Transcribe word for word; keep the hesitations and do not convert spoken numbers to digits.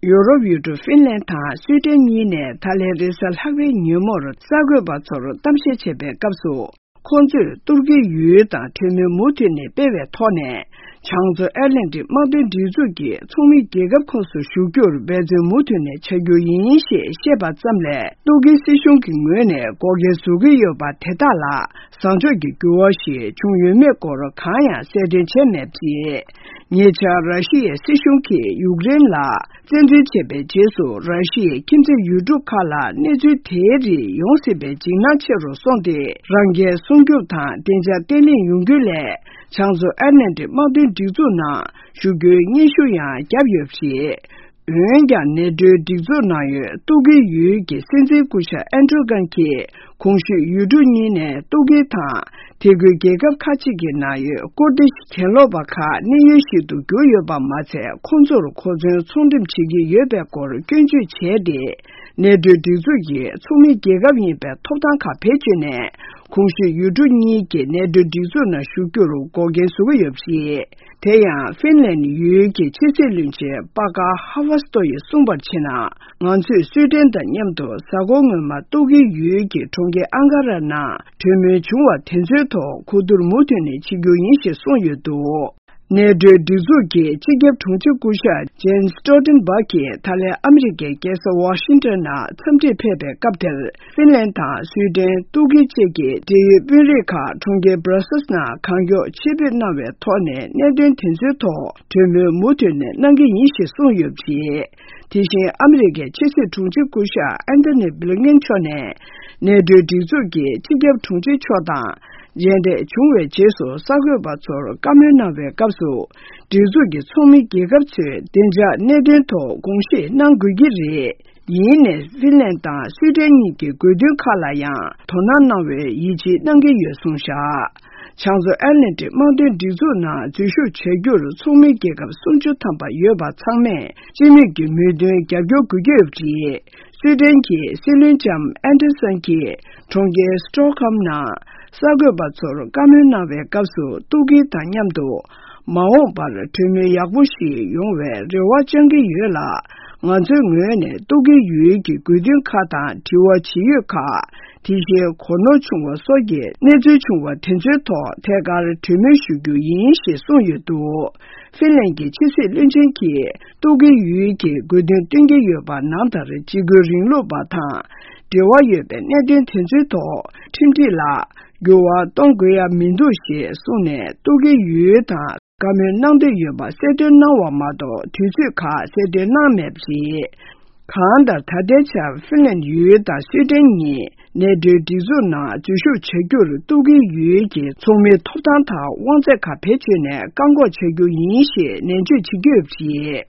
ཡུ་རོབ་ཡུལ་གྲུ་ཧྥིན་ལན་དང་སུའེ་ཏེན་གཉིས་ནས་ད་ལན་རེས་གཟའ་ལྷག་པའི་ཉིན་མོར་གསར་འགོད་པ་ཚོར་གཏམ་བཤད་བྱེད་པའི་སྐབས་སུ། ཁོང་ཚོས་ཏུར་ཀིའི་ཡུལ་དང་གྲོས་མོལ་མུ་མཐུད་ནས་སྤེལ་བའི་ཐོག་ནས། བྱང་མཚོ་ཨེཊ་ལན་ཊིག་དམག་དོན་སྒྲིག་འཛུགས་ཀྱི་ཚོགས་མི་རྒྱལ་ཁབ་ཁོངས་སུ་ཞུགས་རྒྱུར་འབད་བརྩོན་མུ་མཐུད་ནས་བྱ་རྒྱུ་ཡིན་ཞེས་བཤད་པ་ཙམ་ལས། ཏུར་ཀིའི་སྲིད་གཞུང་གི་ངོས་ནས་འགོག་རྐྱེན་བཟོ་གི་ཡོད་པ་དེ་དག་ལ་བཟང་ཕྱོགས་ཀྱི་འགྱུར་བ་ཞིག་བྱུང་ཡོད་མེད་སྐོར་གང་ཡང་གསལ་སྟོན་བྱས་མེད་པ་རེད། ཉེ་ཆར་ར་ཤི་ཡའི་སྲིད་གཞུང་གིས་ཡུཀ་རེན་ལ་བཙན་འཛུལ་བྱས་པའི་རྗེས་སུ། ར་ཤི་ཡའི་ཁྱིམ་མཚེས་ཡུལ་གྲུ་ཁག་ལ་གནས་ཚུལ་དེའི་རིགས་ཡོང་སྲིད་པའི་འཇིགས་སྣང་ཆེ་རུ་སོང་སྟེ། རང་འགན་སྲུང་སྐྱོབ་དང་བདེ་འཇགས་བརྟན་ལྷིང་ཡོང་རྒྱུ་ལས། བྱང་མཚོ་ཨེཊ་ལན་ཊིག་དམག་དོན་སྒྲིག་འཛུགས་ནང་ཞུགས་རྒྱུའི་སྙན་ཞུ་ཡང་བརྒྱབ་ཡོད་པ་རེད། འོན་ཀྱང་། ནེ་ཏོའི་སྒྲིག་འཛུགས་ནང་ཡོད་ཏུར་ཀིའི་ཡུལ་གྱི་སྲིད་འཛིན་སྐུ་ཞབས་ཨན་ཏྲུ་གྷན་གྱིས། གོང་ཞུས་ཡུལ་གྲུ་གཉིས་ནས་ཏུར་ཀི་དང་། དེ་ཁུལ་རྒྱལ་ཁབ་ཁག་ཅིག་གི་ནང་ཡོད་ཀུར་ཏིཤ་གྱེན་ལོག་པ་ཁག་གནས་ཡུལ་ཞིག་ཏུ་གྱུར་ཡོད་པ་མ་ཚད། ཁོང་ཚོར་གོ་མཚོན་ཚོང་འགྲེམས་བྱེད་ཀྱི་ཡོད་པའི་སྐོར་སྐྱོན་བརྗོད་བྱས་ཏེ། ནེ་ཏོའི་སྒྲིག་འཛུགས་ཀྱི་ཚོགས་མི་རྒྱལ་ཁབ་ཡིན་པའི་ཐོབ་ཐང་ཁག་བེད་སྤྱོད་ནས། གོང་ཞུས་ཡུལ་གྲུ་གཉིས་ཀྱིས་ནེ་ཏོའི་སྒྲིག་འཛུགས་ནང་ཞུགས་རྒྱུར་འགོག་རྐྱེན་བཟོ་གི་ཡོད་པ་རེད། དེ་ཡང་ཧྥིན་ལན་ཡུལ་གྱི་ཕྱི་སྲིད་བློན་ཆེན་པ་ཀ་ཧ་ཝ་སྟོ་ཡིས་གསུངས་པར་བྱས་ན། ང་ཚོས་སུའེ་ཏེན་དང་མཉམ་དུ་གཟའ་འཁོར་སྔོན་མ་ཏུར་ཀི་ཡུལ་གྱི་གྲོང་ཁྱེར་ཨང་ཀ་ར་ནང་གྲོས་མོལ་བྱུང་བ་དེ་ཚོའི་ཐོག་གོ་བསྡུར་མུ་མཐུད་ནས་བྱེད་རྒྱུ་ཡིན་ཞེས་གསུངས་ཡོད་འདུག་ནེ་ཏོའི་སྒྲིག་འཛུགས་ཀྱི་སྤྱི་ཁྱབ་དྲུང་ཆེ་སྐུ་ཞབས་ཇེན་སི་སྟོལ་ཏེན་བྷག་གིས་ད་ལན་ཨ་མི་རི་ཀའི་རྒྱལ་ས་ཝ་ཤིང་ཏོན་ནང་འཚམས་འདྲིར་ཕེབས་པའི་སྐབས་དེར། ཧྥིན་ལན་དང་སུའེ་ཏེན། ཏུར་ཀི་བཅས་ཀྱི་འབྲེལ་ཡོད་དཔོན་རིགས་ཁག་གྲོང་ཁྱེར་སྦྲ་སེལ་ནང་གང་མགྱོགས་ཆེད་ཕེབས་གནང་བའི་ཐོག་ནས་གནད་དོན་དེ་ཚོའི་ཐོག་གྲོས་མོལ་མུ་མཐུད་ནས་གནང་གི་ཡིན་ཞེས་གསུངས་ཡོད་པ་རེད། དེ་བཞིན་ཨ་མི་རི་ཀའི་ཕྱི་སྲིད་དྲུང་ཆེ་སྐུ་ཞབས་ཨན་ཐོ་ནི་བྷི་ལིན་ཀེན་མཆོག་ནས། ནེ་ཏོའི་སྒྲིག་འཛུགས་ཀྱི་སྤྱི་ཁྱབ་དྲུང་ཆེ་མཆོག་དང་མཇལ་འཕྲད་བྱུང་བའི་རྗེས་སུ་གསར་འགོད་པ་ཚོར་བཀའ་མོལ་གནང་བའི་སྐབས་སུ། སྒྲིག་འཛུགས་ཀྱི་ཚོགས་མི་རྒྱལ་ཁབ་ཚོས་བདེ་འཇགས་གནད་དོན་ཐོག་དགོངས་བཞེས་གནང་དགོས་ཀྱི་རེད། ཡིན་ནའི་ཧྥིན་ལན་དང་སུའེ་ཏེན་གཉིས་ཀྱི་དགོས་འདུན་ཁག་ལ་ཡང་དོ་སྣང་གནང་བའི་ཡིད་ཆེས་གནང་གི་ཡོད་གསུངས་བཞག་བྱང་མཚོ་ཨེཊ་ལན་ཊིག་དམག་དོན་སྒྲིག་འཛུགས་ནང་འཛུལ་ཞུགས་བྱ་རྒྱུར་ཚོགས་མི་རྒྱལ་ཁབ་སུམ་ཅུ་ཐམ་པ་ཡོད་པ་ཚང་མས་སྤྱི་མོས་ཀྱི་མོས་མཐུན་རྒྱབ་སྐྱོར་དགོས་ཀྱི་ཡོད་པ་རེད། སུའེ་ཏེན་གྱི་སྲིད་བློན་ལྕམ་ཨན་ཏེ་སན་གྱིས་གྲོང་ཁྱེར་སི་ཏོག་ཧོམ་ནང་གསར་འགོད་པ་ཚོར་བཀའ་མོལ་གནང་བའི་སྐབས་སུ། ཏུར་ཀི་དང་མཉམ་དུ་མ་འོངས་པར་གྲོས་མོལ་ཡག་པོ་ཞིག་ཡོང་བའི་རེ་བ་བཅང་གི་ཡོད་ལ། ང་ཚོའི་ངོས་ནས་ཏུར་ཀི་ཡུལ་གྱི་དགོས་འདུན་ཁག་དང་དྲི་བ་ཇི་ཡོད་ཁག་དེ་བཞིན་གོ་ནོར་བྱུང་བ་སོགས་ཀྱི་གནས་ཚུལ་བྱུང་བ་དེ་ཚོའི་ཐོག་ཐད་ཀར་གྲོས་མོལ་ཞུ་རྒྱུ་ཡིན་ཞེས་གསུངས་ཡོད་འདུག་ཧྥིན་ལན་གྱི་ཕྱི་སྲིད་བློན་ཆེན་གྱིས། ཏུར་ཀི་ཡུལ་གྱི་དགོས་འདུན་བཏོན་གྱི་ཡོད་པ་ནང་ལྟར་འཇིགས་སྐུལ་རིང་ལུགས་པ་དང་འབྲེལ་བ་ཡོད་པའི་གནད་དོན་དེ་ཚོའི་ཐོག་ཁྲིམས་སྒྲིག་ལ་འགྱུར་བ་གཏོང་དགོས་ཡ་མི་འདུག་ཞེས་གསུངས་ནས། ཏུར་ཀི་ཡུལ་དང་བཀའ་མོལ་གནང་འདོད་ཡོད་པ་གསལ་སྟོན་གནང་བ་མ་གཏོགས། དུས་ཚོད་ཁག་གསལ་སྟོན་གནང་མེད་པ་རེད། གང་ལྟར། ད་ལྟའི་ཆར་ཧྥིན་ལན་ཡུལ་དང་སུའེ་ཏེན་གཉིས་ནེ་ཏོའི་སྒྲིག་འཛུགས་ནང་འཛུལ་ཞུགས་བྱ་རྒྱུར་ཏུར་ཀི་ཡུལ་གྱི་ཚོགས་མིའི་ཐོབ་ཐང་དང་དབང་ཚད་ཁག་བེད་སྤྱོད་ནས་བཀག་འགོག་བྱ་རྒྱུ་ཡིན་ཞེས་ནན་བརྗོད་བྱེད་ཀྱི་ཡོད་པ་རེད།